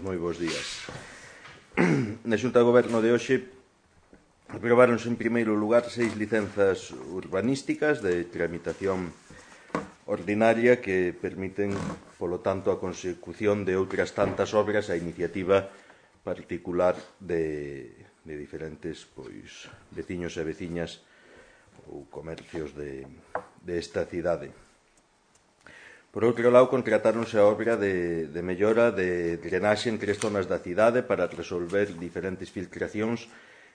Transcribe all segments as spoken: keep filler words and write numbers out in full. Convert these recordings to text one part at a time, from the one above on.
moi bons días. Na Xunta de Goberno de hoxe aprobaronse en primeiro lugar seis licenzas urbanísticas de tramitación ordinaria que permiten, polo tanto, a consecución de outras tantas obras a iniciativa particular de, de diferentes pois, veciños e veciñas ou comercios de, de esta cidade. Por outro lado, contratáronse a obra de, de mellora de drenaxe en tres zonas da cidade para resolver diferentes filtracións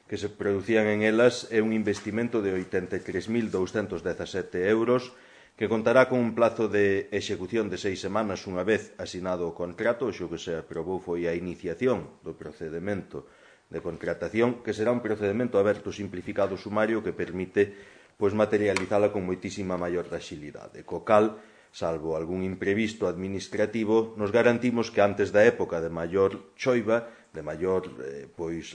que se producían en elas e un investimento de oitenta e tres mil douscentos dezasete euros que contará con un plazo de execución de seis semanas unha vez asinado o contrato. O que se aprobou foi a iniciación do procedimento de contratación, que será un procedimento aberto, simplificado, sumario, que permite pois, materializala con moitísima maior axilidade. Co cal, salvo algún imprevisto administrativo, nos garantimos que antes da época de maior choiva, de maior eh, pois,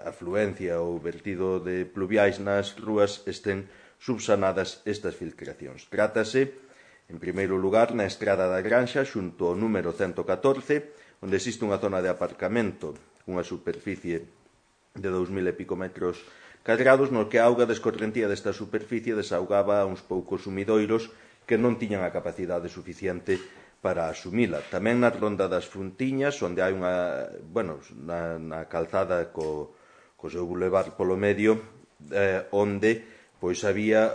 afluencia ou vertido de pluviais nas rúas, estén subsanadas estas filtracións. Trátase, en primeiro lugar, na Estrada da Granxa, xunto ao número ciento catorce, onde existe unha zona de aparcamento cunha superficie de dous mil e pico metros cadrados, no que a auga descorrentía desta superficie desaugaba a uns poucos sumidoiros que non tiñan a capacidade suficiente para asumila. Tamén na Ronda das Fontiñas, onde hai unha, bueno, na, na calzada co, co seu bulevar polo medio, eh, onde pois había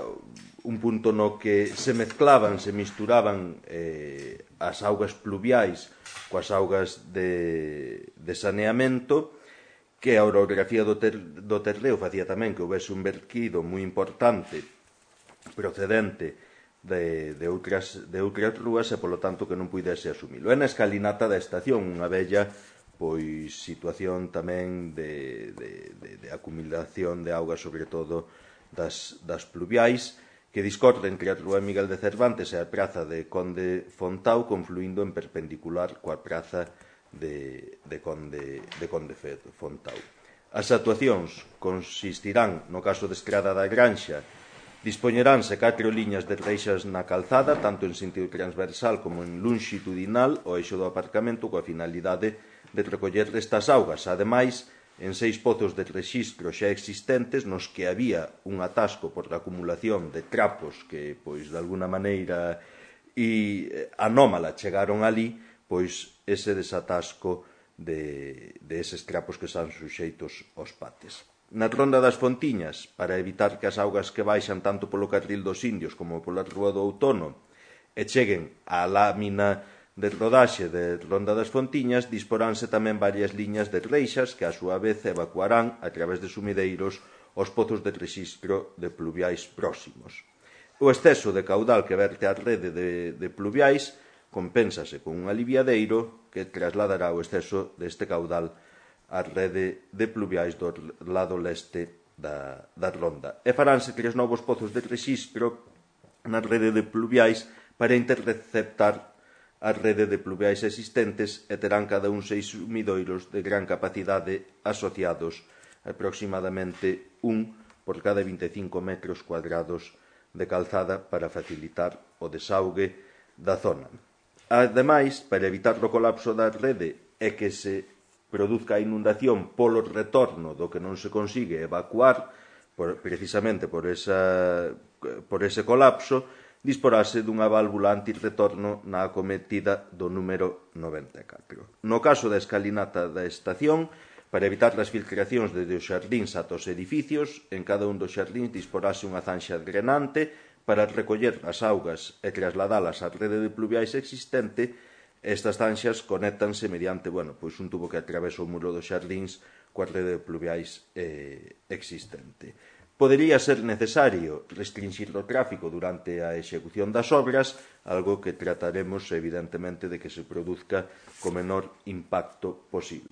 un punto no que se mezclaban, se misturaban eh, as augas pluviais coas augas de, de saneamento, que a orografía do, ter, do Terdeo facía tamén que houvese un verquido moi importante procedente De, de, outras, de outras rúas e, polo tanto, que non puidese asumilo. É na escalinata da estación, unha bella pois, situación tamén de, de, de, de acumulación de auga, sobre todo das, das pluviais, que discorre entre a rúa Miguel de Cervantes e a praza de Conde Fontao, confluindo en perpendicular coa praza de, de, Conde, de Conde Fontao. As actuacións consistirán, no caso de Estrada da Granxa, dispoñeránse catro liñas de reixas na calzada, tanto en sentido transversal como en longitudinal, o eixo do aparcamento, coa finalidade de recoller estas augas. Ademais, en seis pozos de rexistro xa existentes, nos que había un atasco por a acumulación de trapos que, pois, de alguna maneira e anómala chegaron ali, pois ese desatasco de, de eses trapos que están suxeitos aos pates. Na Ronda das Fontiñas, para evitar que as augas que baixan tanto polo carril dos Indios como pola Rúa do Outono e cheguen á lámina de rodaxe de Ronda das Fontiñas, disporánse tamén varias liñas de reixas que a súa vez evacuarán a través de sumideiros os pozos de rexistro de pluviais próximos. O exceso de caudal que verte a rede de, de pluviais compénsase con un aliviadeiro que trasladará o exceso deste caudal a rede de pluviais do lado leste da, da Ronda. E faránse tres novos pozos de rexistro na rede de pluviais para interceptar a rede de pluviais existentes e terán cada un seis sumidoiros de gran capacidade asociados, aproximadamente un por cada vinte e cinco metros cuadrados de calzada para facilitar o desaugue da zona. Ademais, para evitar o colapso da rede e que se produzca a inundación polo retorno do que non se consigue evacuar, por, precisamente por, esa, por ese colapso, disporase dunha válvula antirretorno na acometida do número noventa e catro. No caso da escalinata da estación, para evitar as filtracións desde os xardíns ata os edificios, en cada un dos xardíns disporase unha zanxa drenante para recoller as augas e trasladalas á rede de pluviais existente. Estas zanxas conéctanse mediante, bueno, pois un tubo que atravesa o muro dos xardíns coa rede de pluviais eh, existente. Podería ser necesario restringir o tráfico durante a execución das obras, algo que trataremos, evidentemente, de que se produzca co menor impacto posible.